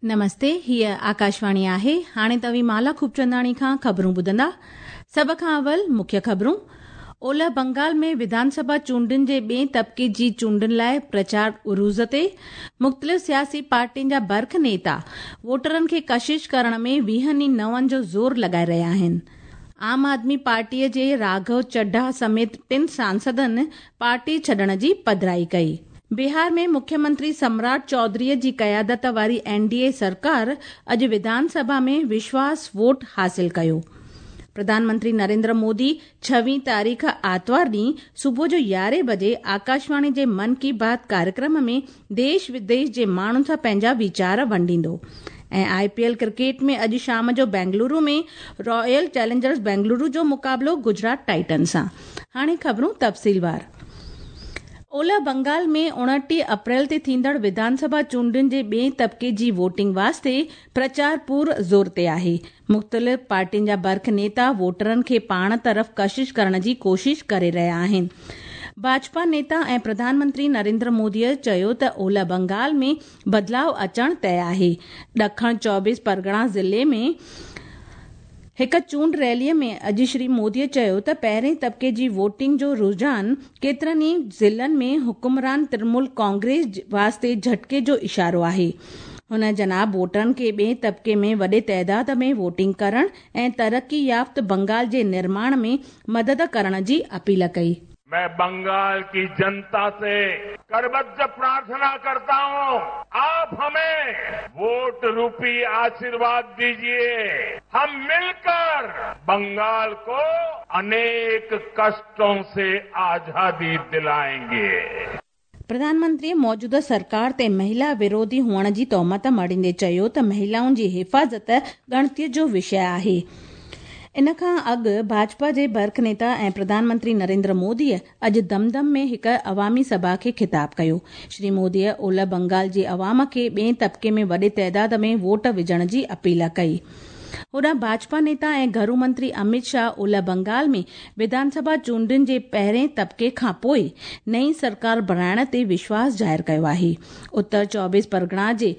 نمستي، هيء آڪاشواڻي آهي. هاڻي توهين مالا خوبچنداڻي کان خبرون ٻڌندا. سڀ کان اول مکيه خبرون. اولهه بنگال ۾ وڌان سڀا چونڊن جي ٻئين طبقي جي چونڊن لاء پرچار عروج تي. مختلف سياسي پارٽين جا برک نيتا ووٽرن کي ڪشش ڪرڻ ۾ ويهن ئي نون جو زور لڳائي رهيا آهن. عام آدمي پارٽيء جي راگهو چڍا سميت ٽن سانسدن پارٽي ڇڏڻ جي پڌرائي ڪئي. بهار ۾ مکيه منتري سمراٽ چوڌريء جي قيادت واري اين ڊي اي سرڪار اڄ وڌان سڀا ۾ وشواس ووٽ حاصل ڪيو. پرڌان منتري نريندر مودي ڇويهين تاريخ آتوار ڏينهن صبح جو يارهين بجي آڪاشواڻي جي من ڪي بات ڪاريڪرم ۾ ديش وديش جي ماڻهن سان پنهنجا ويچار ونڊيندو ۽ آء پي ايل ڪرڪيٽ ۾ اڄ شام جو بينگلورو ۾ رائل چئلينجرز بينگلورو جو مقابلو گجرات ٽائٽنز سان. هاڻي خبرون تفصيلوار. اولهه بنگال ۾ 29 اپريل تي ٿيندڙ وڌان سڀا چونڊن جي ٻئين طبقي جي ووٽنگ واسطي پرچار پور زور تي آهي. مختلف پارٽين جا برک نيتا ووٽرن کي پاڻ طرف ڪشش ڪرڻ جي ڪوشش ڪري رهيا آهن. ڀاجپا نيتا ۽ پرڌان منتري نريندر موديء چيو ته اولهه بنگال ۾ بدلاء اچڻ طئي آهي. ڏکڻ چوبيس پرڳڻا ضلعي ۾ هڪ چونڊ ريليء ۾ اڄ شري موديء چيو ته پهرين طبقي جي ووٽنگ جو رجحان ڪيترن ئي ضلعن ۾ حڪمران ترنمول ڪانگريس واسطي جهٽڪي جو اشارو آهي. هن جناب ووٽرن کي ٻئين طبقي ۾ وڏي تعداد ۾ ووٽنگ ڪرڻ ۽ ترقي يافت بنگال جي نرماڻ ۾ مدد ڪرڻ جي اپيل ڪئي. مين بنگال ڪي جنتا سي ڪربڌ پرارٿنا ڪرتا هون آپ همين ووٽ روپي آشيرواد ديجيي هم مل ڪر بنگال ڪو انيڪ ڪشٽون سي آزادي دلائين گي. پرڌان منتري موجوده سرڪار تي مهلا وروڌي هئڻ جي تهمت مڙهيندي چيو ته مهلائن جي حفاظت ڳڻتي جو وشيه آهي. ان کان اڳ ڀاجپا جي برک نيتا ۽ پرڌان منتري نريندر موديء اڄ دم دم ۾ هڪ عوامي سڀا کي خطاب ڪيو. شري موديء اولهه بنگال جي عوام کي ٻئين طبقي ۾ وڏي تعداد ۾ ووٽ وجهڻ جي اپيل ڪئي. هوڏانهن ڀاجپا نيتا ۽ گهرو منتري اميت شاهه اولهه بنگال ۾ وڌان سڀا چونڊن جي پهرين طبقي کان پوء نئين سرڪار بڻائڻ تي وشواس ظاهر ڪيو آهي. اتر چوبيس پرڳڻا جي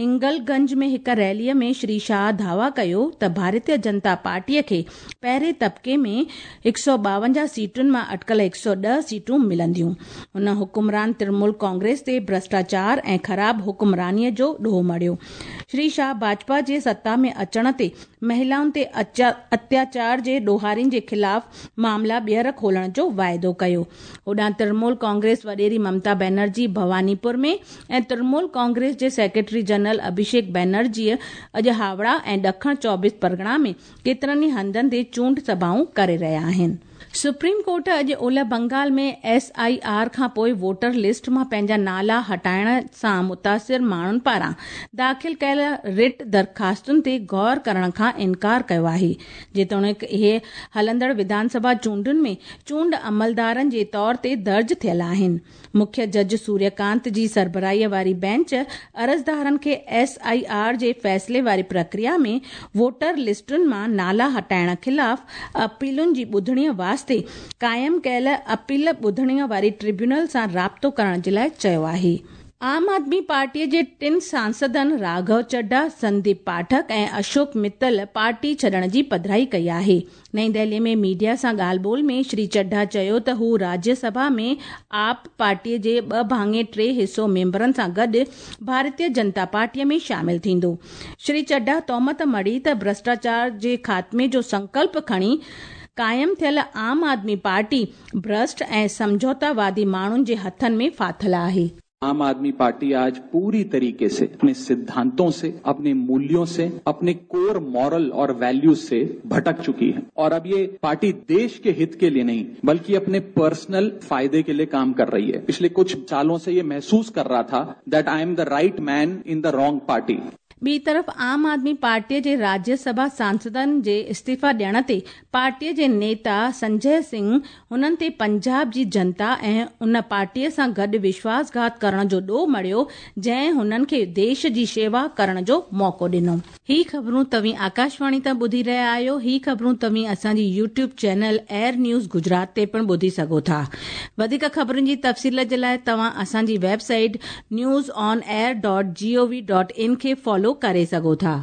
هنگل گنج ۾ هڪ ريليء ۾ شري شاهه دعويٰ ڪيو ته ڀارتيه جنتا پارٽيء کي پهرين طبقي ۾ 152 سيٽن مان اٽڪل 110 سيٽون ملنديون. هن حڪمران ترنمول ڪانگريس تي ڀرشٽاچار ۽ خراب حڪمرانيء جو ڏوهه مڙهيو. شري شاهه ڀاجپا جي ستا ۾ اچڻ تي مهلائن تي اتياچار جي ڏوهارين جي خلاف معاملا ٻيهر کولڻ جو واعدو ڪيو. هوڏانهن ترنمول ڪانگريس وڏيري ممتا بينرجي ڀواني پور ۾ ۽ ترنمول ڪانگريس جي سيڪريٽري جنرل اڀيشيڪ بينرجيء اڄ هاوڙا ۽ ڏکڻ چوبيس پرڳڻا ۾ ڪيترن ئي هنڌن تي چونڊ سڀائون ڪري رهيا آهن. سپريم ڪورٽ اڄ اولهه بنگال ۾ ايس I R کانپوء ووٽر لسٽ مان پنهنجا نالا هٽائڻ سان متاثر ماڻهن پاران داخل ڪيل رٽ درخواستن تي غور ڪرڻ کان انڪار ڪيو آهي جيتوڻيڪ اهي هلندڙ وڌان سڀا چونڊن ۾ چونڊ عملدارن جي طور تي درج ٿيل آهن. مکيه جج سوريه ڪانت جي سربراهي واري بينچ عرضدارن کي ايس I R جي فيصلي واري پرڪريا ۾ ووٽر لسٽن مان نالا هٽائڻ خلاف اپيلن جي ٻڌڻي واسطي قائم ڪيل اپيل ٻڌڻي واري ٽربيونل سان رابطو ڪرڻ جي لاء چيو آهي. عام آدمي پارٽيء جي ٽن سانسدن راگهو چڍا، سنديپ پاٺڪ ۽ اشوڪ متل پارٽي ڇڏڻ جي پڌرائي ڪئي آهي. نئين دهلي ۾ ميڊيا سان ڳالهه ٻولهه ۾ شري چڍا چيو ته هو راجيه سڀا ۾ آپ پارٽي جي ٻه ڀاڱي ٽي حصو ميمبرن سان گڏ ڀارتيه جنتا پارٽي ۾ شامل ٿيندو. شري چڍا تهمت مڙهي ته ڀرشٽاچار جي خاتمي جو سنڪلپ کڻي قائم ٿيل عام آدمي پارٽي ڀرشٽ ۽ سمجهوتا وادي ماڻهن جي هٿن ۾ ڦاٿل آهي. आम आदमी पार्टी आज पूरी तरीके से अपने सिद्धांतों से, अपने मूल्यों से, अपने कोर मॉरल और वैल्यूज से भटक चुकी है और अब ये पार्टी देश के हित के लिए नहीं बल्कि अपने पर्सनल फायदे के लिए काम कर रही है। पिछले कुछ सालों से ये महसूस कर रहा था that I am the right man in the wrong party. ٻي طرف عام آدمي پارٽيء جي راجيه سڀا سانسدن جي استعيفا ڏيڻ تي پارٽيء جي نيتا سنجي سنگهه هنن تي پنجاب جي جنتا ۽ ان پارٽيء سان گڏ وشواس گهات ڪرڻ جو ڏوهه مڙهيو جنهن هنن کي ديش جي شيوا ڪرڻ جو موقعو ڏنو. هي خبرون توهين آڪاشواڻي تان ٻڌي رهيا آهيو. هي خبرون توهين اسان جي YouTube channel air news Gujarat تي پڻ ٻڌي سگهو ٿا. وڌيڪ خبرن جي تفصيل جي لاء توهان اسان جي website news on air dot G O V dot in کي فالو. فائدو ڪري سگهو ٿا.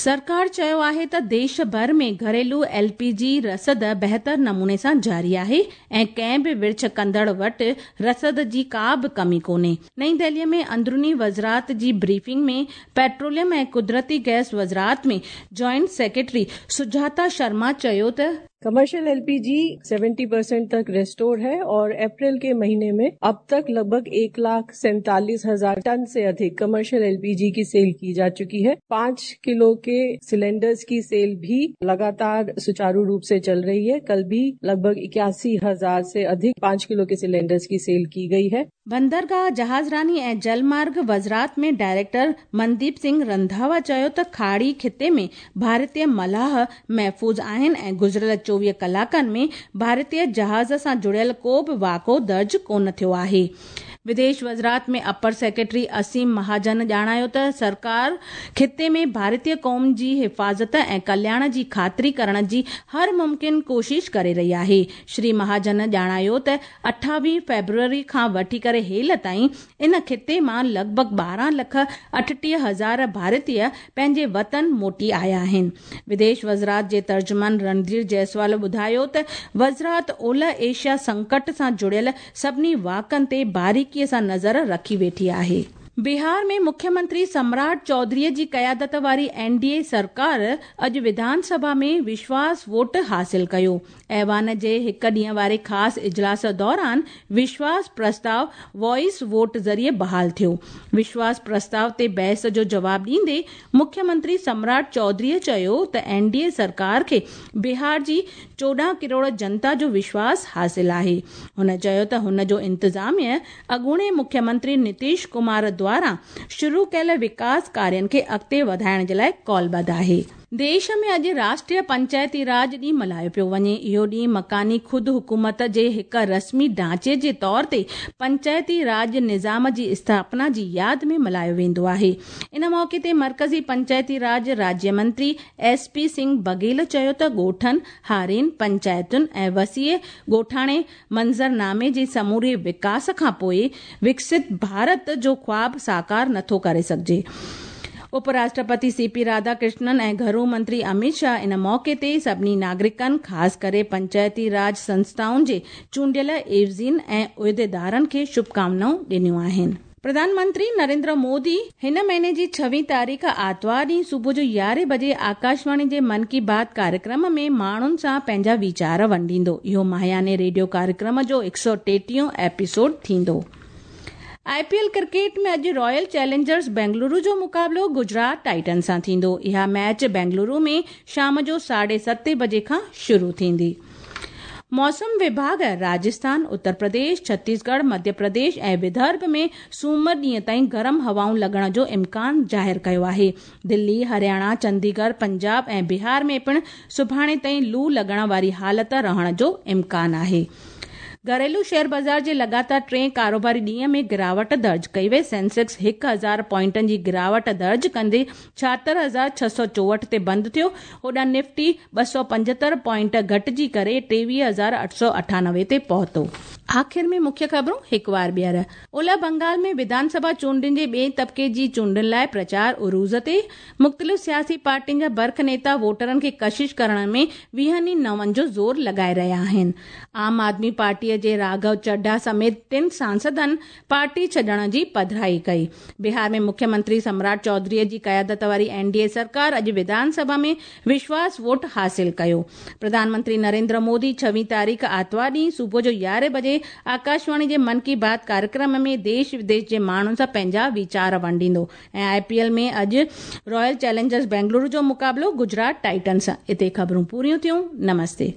سرڪار چيو آهي ته ديش ڀر ۾ گهريلو ايل پي جي رسد بهتر نموني سان جاري آهي ۽ ڪنهن به ورڇ ڪندڙ وٽ رسد جي ڪا به ڪمي ڪونهي. نئين دهلي ۾ اندروني وزارت جي بريفنگ ۾ پيٽروليم ۽ قدرتي گئس وزارت ۾ جوائنٽ سيڪريٽري سجاتا شرما چيو ته कमर्शियल एलपीजी 70% तक रेस्टोर है और अप्रैल के महीने में अब तक लगभग 1,47,000 टन से अधिक कमर्शियल एलपीजी की सेल की जा चुकी है। 5 किलो के सिलेंडर्स की सेल भी लगातार सुचारू रूप से चल रही है। कल भी लगभग 81,000 से अधिक 5 किलो के सिलेंडर्स की सेल की गई है। बंदरगाह जहाज़रानी ऐं जलमार्ग वज़ारत में डायरेक्टर मनदीप सिंह रंधावा चयो त खाड़ी खिते में भारतीय मलाह महफ़ूज़ आहिनि ऐं गुज़िरियल 24 कलाकनि में भारतीय जहाज़ सां जुड़ियल को बि वाक़िओ दर्ज कोन थियो आहे। विदेश वज़ारत में अपर सेक्रेटरी असीम महाजन ॼाणायो त सरकार खिते में भारतीय क़ौम जी हिफ़ाज़त ऐं कल्याण जी ख़ातिरी करण जी हर मुमकिन कोशिश करे रही आहे। श्री महाजन ॼाणायो त 28 फ़ेब्रुअरी खां वठी करे हेल ताईं इन खिते मां लॻभॻ 12,38,000 भारतीय पंहिंजे वतन मोटी आया आहिनि। विदेश वज़ारत जे तर्जुमान रणधीर जायसवाल ॿुधायो त वज़ारत ओलह एशिया संकट सां जुड़ियल सभिनी वाक़नि ते बारीक़ीअ सां नज़र रखी वेठी आहे। बिहार में मुख्यमंत्री सम्राट चौधरीअ जी क़यादत वारी एनडीए सरकार अॼु विधानसभा में विश्वास वोट हासिल कयो। ऐवान जे हिकु ॾींहं वारे ख़ासि इजलास दौरान विश्वास प्रस्ताव वॉइस वोट ज़रिए बहाल थियो। विश्वास प्रस्ताव ते बहस जो जवाब ॾींदे मुख्यमंत्री सम्राट चौधरीअ चयो त एनडीए सरकार खे बिहार जी 14 करोड़ जनता जो विश्वास हासिल आहे। हुन चयो त हुन जो इंतज़ामिया अॻूणे मुख्यमंत्री नीतीश कुमार द्वारा शुरू कयल विकास कार्यनि खे अॻिते वधाइण जे लाइ कॉलबद्ध आहे। देश में अॼु राष्ट्रीय पंचायती राज ॾींहुं मल्हायो पियो वञे। इहो ॾींहुं मकानी ख़ुदि हुकूमत जे हिकु रस्मी ढांचे जे तौर ते पंचायती राज निज़ाम जी स्थापना जी यादि में मल्हायो वेंदो आहे। इन मौक़े ते मर्कज़ी पंचायती राज राज्य मंत्री एस.पी. सिंह बघेल चयो त ॻोठनि, हारियुनि, पंचायतुनि ऐं वसीअ ॻोठाणे मंज़रनामे जे समूरे विकास खां पोइ विकसित भारत जो ख़्वाब साकार नथो करे सघिजे। उपराष्ट्रपति सीपी राधाकृष्णन ऐं घरू मंत्री अमित शाह इन मौक़े ते सभिनी नागरिकनि, ख़ासि करे पंचायती राज संस्थाउनि जे चूंडियल एवज़ियुनि ऐं उहिदेदारनि खे शुभकामनाऊं ॾिनियूं आहिनि। प्रधानमंत्री नरेंद्र मोदी हिन महीने जी 26 तारीख़ आतिवार ॾींहुं सुबुह जो 11 बजे आकाशवाणी जे मन की बात कार्यक्रम में माण्हुनि सां पंहिंजा वीचार वंडींदो। इहो माहियाने रेडियो कार्यक्रम जो 133 एपिसोड थींदो। आईपीएल क्रिकेट में अॼु रॉयल चैलेंजर्स बेंगलुरु जो मुक़ाबिलो गुजरात टाइटन सां थींदो। इहा मैच बेंगलुरु में शाम जो 7:30 बजे खां शुरू थींदी। मौसम विभाग राजस्थान, उत्तर प्रदेश, छत्तीसगढ़, मध्य प्रदेश ऐं विदर्भ में सूमर ॾींहं ताईं गरम हवाऊं लॻण जो इम्कान ज़ाहिर कयो आहे। दिल्ली, हरियाणा, चंडीगढ़, पंजाब ऐं बिहार में पिणु सुभाणे ताईं लू लॻण वारी हालत रहण जो इम्कान आहे। घरेलू शेयर बाज़ार जे लगातार टे कारोबारी ॾींहं में गिरावट दर्ज कई वई। सेंसेक्स 1000 पॉइंटनि जी गिरावट दर्ज कंदे 76,664 ते बंदि थियो। होॾां निफ्टी 275 पॉइंट घटिजी करे 23,898 ते पहुतो। आख़िर में मुख्य ख़बरूं हिकु वार ॿीहर। ओलह बंगाल में विधानसभा चूंडनि जे ॿिए तबिके जी चूंडनि लाइ प्रचार उरूज ते। मुख़्तलिफ़ सियासी पार्टियुनि जा बर्ख नेता वोटरनि खे कशिश करण में 20 नवनि जो ज़ोर लॻाए रहिया आहिनि। आम आदमी पार्टीअ जे राघव चड्ढा समेत 3 सांसदनि पार्टी छॾण जी पधराई कई। बिहार में मुख्यमंत्री सम्राट चौधरीअ जी क़यादत वारी एनडीए सरकार अॼु विधानसभा में विश्वास वोट हासिल कयो। प्रधानमंत्री नरेंद्र मोदी 26 तारीख़ आतिवार ॾींहुं सुबुह जो 11 बजे आकाशवाणी जे मन की बात कार्यक्रम में देश विदेश जे माण्हुनि सां पंहिंजा वीचार वंडींदो। ऐं आईपीएल में अॼु रॉयल चैलेंजर्स बेंगलुरु जो मुक़ाबिलो गुजरात टाइटन सां। हिते ख़बरूं पूरियूं थियूं। नमस्ते।